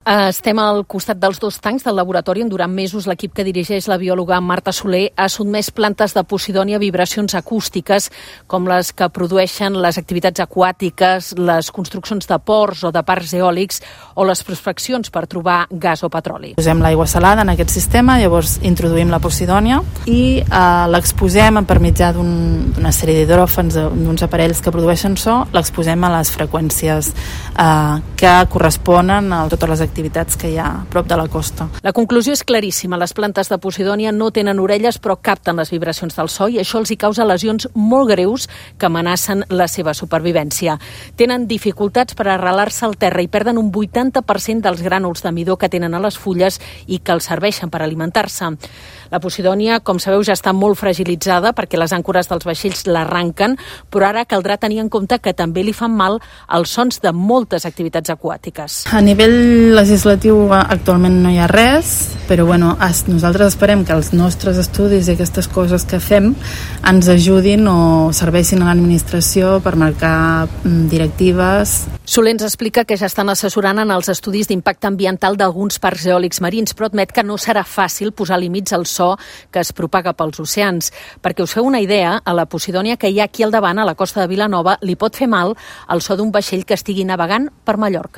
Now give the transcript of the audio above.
Estem al costat dels dos tancs del laboratori on durant mesos l'equip que dirigeix la biòloga Marta Soler ha sotmès plantes de posidònia a vibracions acústiques com les que produeixen les activitats aquàtiques, les construccions de ports o de parcs eòlics o les prospeccions per trobar gas o petroli. Posem l'aigua salada en aquest sistema, llavors introduïm la posidònia i l'exposem per mitjà d'una sèrie d'hidròfans, d'uns aparells que produeixen so, l'exposem a les freqüències que corresponen a totes les activitats que hi ha a prop de la costa. La conclusió és claríssima. Les plantes de posidònia no tenen orelles però capten les vibracions del so i això els hi causa lesions molt greus que amenacen la seva supervivència. Tenen dificultats per arrelar-se al terra i perden un 80% dels grànuls de midó que tenen a les fulles i que els serveixen per alimentar-se. La posidònia, com sabeu, ja està molt fragilitzada perquè les àncores dels vaixells l'arranquen, però ara caldrà tenir en compte que també li fan mal els sons de moltes activitats aquàtiques. A nivell legislatiu actualment no hi ha res, però nosaltres esperem que els nostres estudis i aquestes coses que fem ens ajudin o serveixin a l'administració per marcar directives. Soler ens explica que ja estan assessorant en els estudis d'impacte ambiental d'alguns parcs eòlics marins, però admet que no serà fàcil posar límits al so que es propaga pels oceans. Perquè us feu una idea, a la posidònia que hi ha aquí al davant, a la costa de Vilanova, li pot fer mal el so d'un vaixell que estigui navegant per Mallorca.